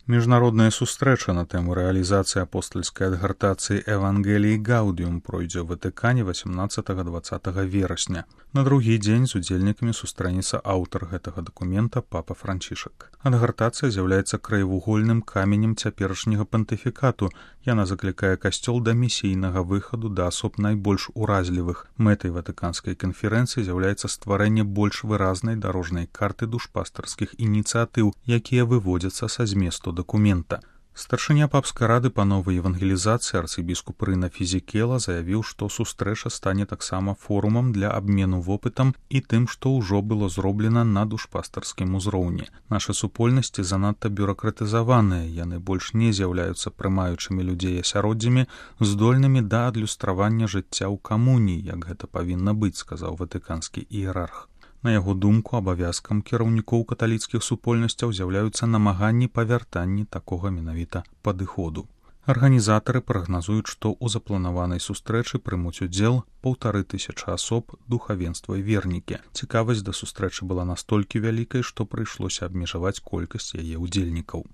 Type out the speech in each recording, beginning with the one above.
Міжнародная сустрэча на тэму рэалізацыі апостальскай адгартацыі Евангеліі Гаудіум пройдзе ў Ватыкане 18-20 верасня. На другі дзень з удзельнікамі сустрэнецца аўтар гэтага дакумента папа Францішак. Адгартацыя з'яўляецца краевугольным каменем цяперашняга пантыфікату. Яна заклікае касцёл да місійнага выхаду да асоб найбольш уразлівых. Мэтай ватыканскай канферэнцыі з'яўляецца стварэнне больш выразнай дарожнай карты душпастарскіх ініцыятыў, якія выводзяцца са зместу дакумента. Старшыня папскай рады па новай евангелізацыі арцыбіскуп Рына Фізікела заявіў, што сустрэча стане таксама форумам для абмену вопытам і тым, што ўжо было зроблена на душпастарскім узроўні. Нашы супольнасці занадта бюракратызаваныя, яны больш не з'яўляюцца прымаючымі людзей асяроддзямі, здольнымі да адлюстравання жыцця ў камуніі, як гэта павінна быць, сказаў ватыканскі іерарх. На яго думку, абавязкам кіраўнікоў каталіцкіх супольнасцяў з'яўляюцца намаганні па вяртанні такога менавіта падыходу. Арганізатары прагназуюць, што ў запланаванай сустрэчы прымуць удзел 1500 асоб, духавенства і вернікі. Цікавасць да сустрэчы была настолькі вялікай, што прыйшлося абмежаваць колькасць яе ўдзельнікаў.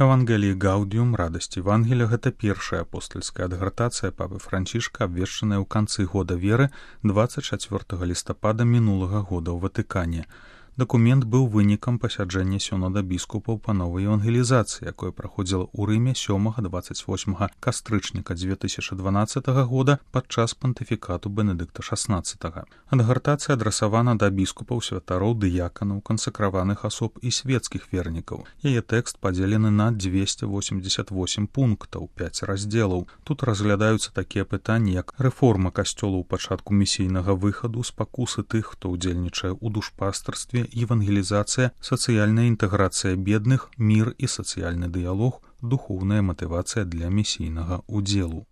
Евангеліі Гаудіум, радасць Евангелія, гэта першая апостальская адгартацыя папы Францішка, абвешчаная ў канцы года веры 24 лістапада мінулага года ў Ватыкане. Дакумент быў вынікам пасяджэння сінода біскупаў па новай евангелізацыі, якое праходзіла ў Рыме 7-28 кастрычніка 2012 года падчас пантыфікату Бенедыкта XVI. Адгартацыя адрасавана да біскупаў, святароў, дыяканаў, кансакраваных асоб і свецкіх вернікаў. Яе тэкст падзелены на 288 пунктаў, 5 раздзелаў. Тут разглядаюцца такія пытанні, як рэформа касцёла ў пачатку місійнага выхаду, спакусы тых, хто ўдзельнічае ў душпастарстве, евангелізацыя, сацыяльная інтэграцыя бедных, мір і сацыяльны дыялог, духоўная матывацыя для місійнага удзелу.